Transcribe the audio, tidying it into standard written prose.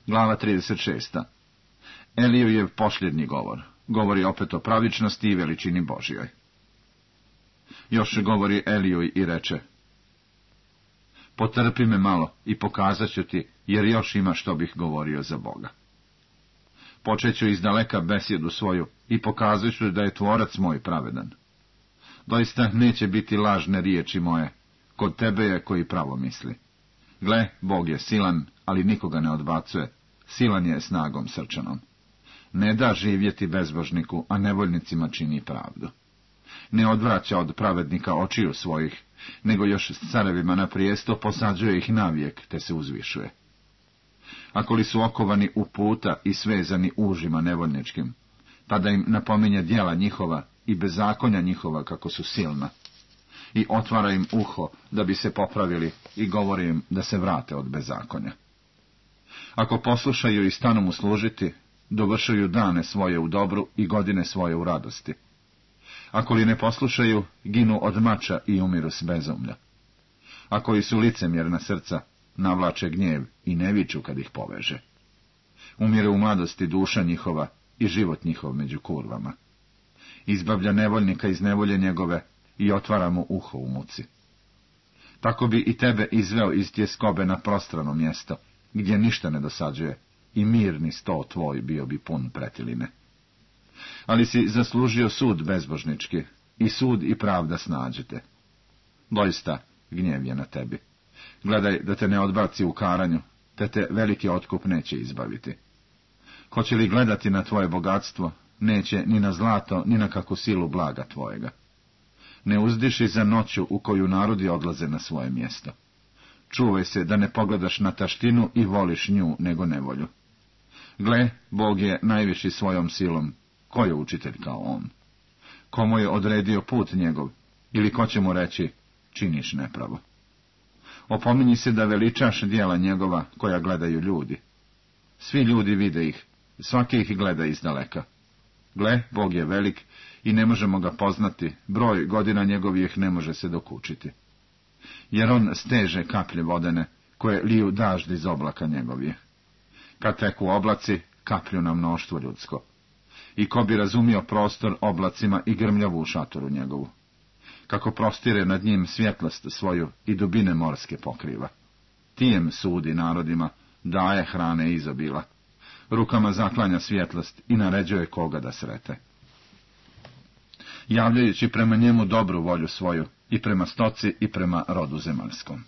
Glava 36. Elijujev posljednji govor. Govori opet o pravičnosti i veličini Božjoj. Još govori Elijuj i reče: Potrpi me malo i pokazat ću ti, jer još ima što bih govorio za Boga. Počeću izdaleka besjedu svoju i pokazat ću da je tvorac moj pravedan. Doista neće biti lažne riječi moje, kod tebe je koji pravo misli. Gle, Bog je silan, ali nikoga ne odbacuje, silan je snagom srčanom. Ne da živjeti bezbožniku, a nevoljnicima čini pravdu. Ne odvraća od pravednika očiju svojih, nego još s carevima na prijesto posađuje ih navijek, te se uzvišuje. Ako li su okovani u puta i svezani užima nevoljničkim, tada im napominje djela njihova i bezakonja njihova kako su silna, i otvara im uho da bi se popravili i govori im da se vrate od bezakonja. Ako poslušaju i stanu mu služiti, dovršuju dane svoje u dobru i godine svoje u radosti. Ako li ne poslušaju, ginu od mača i umiru s bezumlja. Ako li su licemjerna srca, navlače gnjev i ne viču kad ih poveže. Umire u mladosti duša njihova i život njihov među kurvama. Izbavlja nevoljnika iz nevolje njegove i otvara mu uho u muci. Tako bi i tebe izveo iz tjeskobe na prostrano mjesto, gdje ništa ne dosađuje, i mirni sto tvoj bio bi pun pretiline. Ali si zaslužio sud bezbožnički, i sud i pravda snađete. Doista, gnjev je na tebi. Gledaj da te ne odbaci u karanju, te veliki otkup neće izbaviti. Hoće li gledati na tvoje bogatstvo, neće ni na zlato, ni na kakvu silu blaga tvojega. Ne uzdiši za noću u koju narodi odlaze na svoje mjesto. Čuvaj se da ne pogledaš na taštinu i voliš nju nego nevolju. Gle, Bog je najviši svojom silom, ko je učitelj kao on? Komu je odredio put njegov, ili ko će mu reći, činiš nepravo? Opominji se da veličaš djela njegova koja gledaju ljudi. Svi ljudi vide ih, svaki ih gleda izdaleka. Gle, Bog je velik i ne možemo ga poznati, broj godina njegovih ne može se dokučiti. Jer on steže kaplje vodene, koje liju dažd iz oblaka njegovih. Kad teku oblaci, kaplju na mnoštvo ljudsko. I ko bi razumio prostor oblacima i grmljavu u šatoru njegovu. Kako prostire nad njim svjetlost svoju i dubine morske pokriva. Tijem sudi narodima, daje hrane izobila. Rukama zaklanja svjetlost i naređuje koga da srete. Javljajući prema njemu dobru volju svoju, i prema stoci i prema rodu zemaljskom.